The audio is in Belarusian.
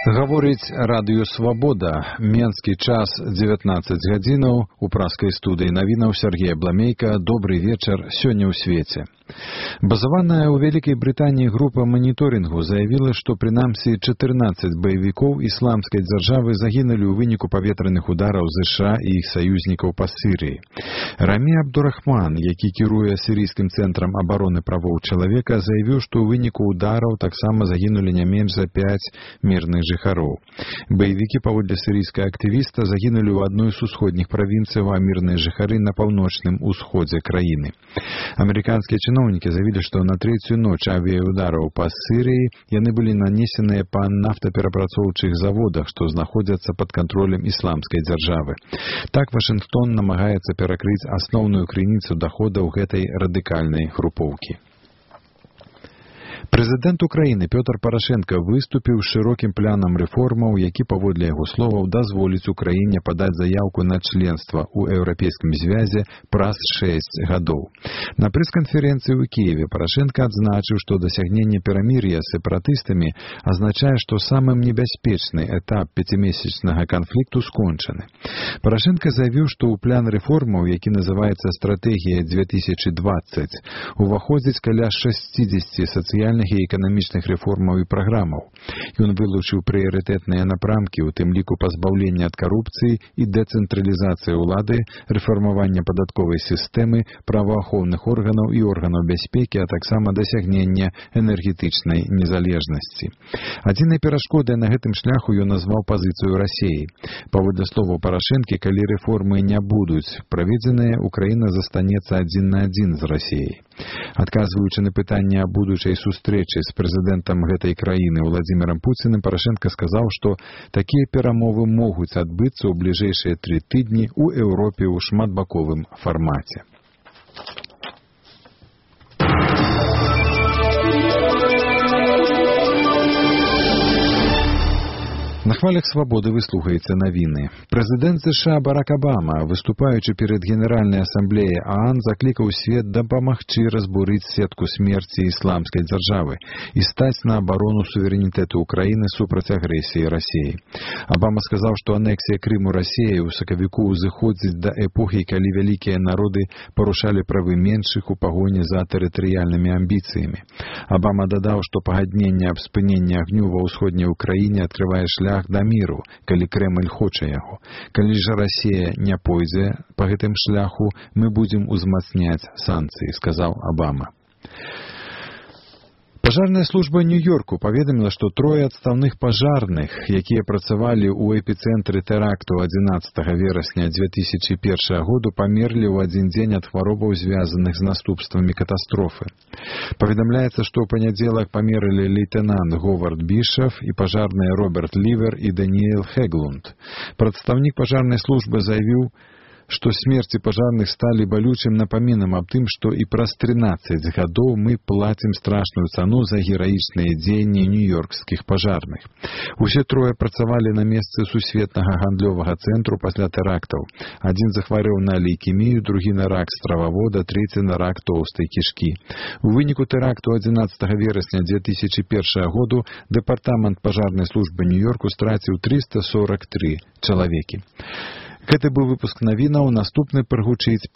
Гаворыць радыё «Свабода». Менскі час 19 гадзінаў. У праскай студыі навінаў Сергей Бламейка. Добрый вечар. Сёння ў свеце. Базаваная ў Вялікай Брытаніі група маніторынгу заявіла, што прынамсі 14 баевікоў ісламскай дзяржавы загінулі ў выніку паветраных удараў ЗША і іх саюзнікаў па Сірыі. Рамі Абдурахман, які кіруе сірійскім цэнтрам абароны правоў чалавека, заявіў, што ў выніку удараў таксама загінулі не менш за 5 мірных жыхароў. Баевікі, паводле сірійскага актывіста, загінулі ў адной з усходніх правінцыяў, а мірныя жыхары на паўночным усходзе краіны. Амерыканскія чыноўнікі заявілі, што на трэцюю ноч авіяудараў па Сірыі яны былі нанесеныя па нафтаперапрацоўчых заводах, што знаходзяцца пад кантролем ісламскай дзяржавы. Так Вашынгтон намагаецца перакрыць асноўную крыніцу даходаў гэтай радыкальнай групоўкі. Прэзідэнт Украіны Пётр Парашенка выступіў з шырокім планам рэформаў, які, паводле яго словаў, дазволіць Украіне падаць заяўку на членства ў Еўрапейскім звязе праз 6 гадоў. На прэс-канферэнцыі ў Кіеве Парашенка адзначыў, што дасягненне перамір'я з сепаратыстамі азначае, што самым небяспечны этап 5-месячнага канфлікту скончаны. Парашенка заявіў, што ў план рэформаў, які называецца «Стратэгія 2020», уваходзіць каля 60 сацыяльных і эканамічных рэформаў і праграмаў. Ён вылучыў прыярытэтныя напрамкі, у тым ліку пазбаўлення ад карупцыі і дэцэнтралізацыі ўлады, рэфармавання падатковай сістэмы, праваахоўных органаў і органаў бяспекі, а таксама дасягнення энергетычнай незалежнасці. Адзінай перашкодай на гэтым шляху ён назваў пазіцыю Расіі. Паводле словаў Парашэнкі, калі рэформы не будуць праведзеныя, Украіна застанецца адзін на адзін з Расіяй. Адказваючы на пытанне аб будучай сустрэчы з прэзідэнтам гэтай краіны Владзімірам Пуціным, Парашенка сказаў, што такія перамовы могуць адбыцца ў бліжэйшыя 3 тыдні ў Еўропе ў шматбаковым фармаце. На хвалях «Свабоды» вы слухаеце навіны. Прэзідэнт ЗША Барак Абама, выступаючы перад Генеральнай асамблеяй ААН, заклікаў свет дапамагчы разбурыць сетку смерці ісламскай дзяржавы і стаць на абарону суверэнітэту Украіны супраць агрэсіі Расіі. Абама сказаў, што анексія Крыму Расіяй у сакавіку ўзыходзіць да эпохі, калі вялікія народы парушалі правы меншых у пагоні за тэрытарыяльнымі амбіцыямі. Абама дадаў, што пагадненне аб спыненні агню ва ўсходняй Украіне адкрывае шлях да міру, калі Крэмль хоча яго. Калі ж Расія не пойдзе па гэтым шляху, мы будзем узмацняць санкцыі, сказаў Абама. Пажарная служба Нью-Йорку паведаміла, што 3 адстаўных пажарных, якія працавалі ў эпіцэнтры тэракту 11 верасня 2001 году, памерлі ў адзін дзень ад хваробаў, звязаных з наступствамі катастрофы. Паведамляецца, што ў панядзелак памерлі лейтэнант Говард Бішаф і пажарныя Роберт Лівер і Даніэл Хеглунд. Прадстаўнік пажарнай службы заявіў, што смерці пажарных сталі балючым напамінам аб тым, што і праз 13 гадоў мы плацім страшную цану за гераічныя дзеянні нью-йоркскіх пажарных. Усе 3 працавалі на месцы сусветнага гандлёвага цэнтру пасля тэрактаў. Адзін захварэў на лейкемію, другі на рак стрававода, трэці на рак тоўстай кішкі. У выніку тэракту 11 верасня 2001 году дэпартамент пажарнай службы Нью-Йорку страціў 343 чалавекі. Гэты быў выпуск навінаў, наступны прагучыць